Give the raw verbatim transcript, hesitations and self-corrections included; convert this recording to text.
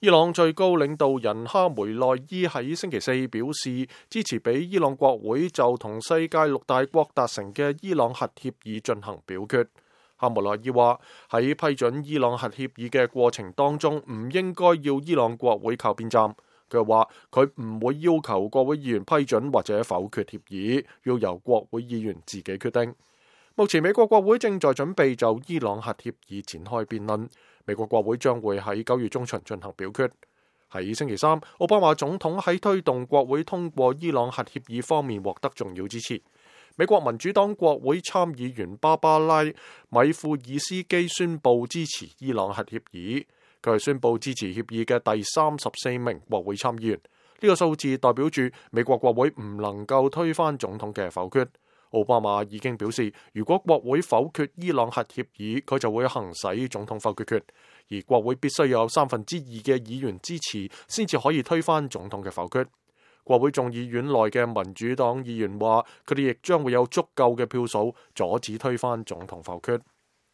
伊朗最高領導人哈梅內伊喺星期四表示，支持俾伊朗國會就同世界六大國達成嘅伊朗核協議進行表決。哈梅內伊話喺批准伊朗核協議嘅過程當中，唔應該要伊朗國會靠邊站。佢話佢唔會要求國會議員批准或者否決協議，要由國會議員自己決定。目前美國國會正在準備就伊朗核協議展開辯論。美國國會將會喺九月中旬進行表決。喺星期三，奧巴馬總統喺推動國會通過伊朗核協議方面獲得重要支持。美國民主黨國會參議員芭芭拉·米庫爾斯基宣布支持伊朗核協議，佢係宣布支持協議嘅第三十四名國會參議員。呢個數字代表住美國國會唔能夠推翻總統嘅否決。奧巴馬已經表示，如果國會否決伊朗核協議，佢就會行使總統否決權，而國會必須有三分之二嘅議員支持，先至可以推翻總統嘅否決。國會眾議院內嘅民主黨議員話，佢哋亦將會有足夠嘅票數阻止推翻總統否決。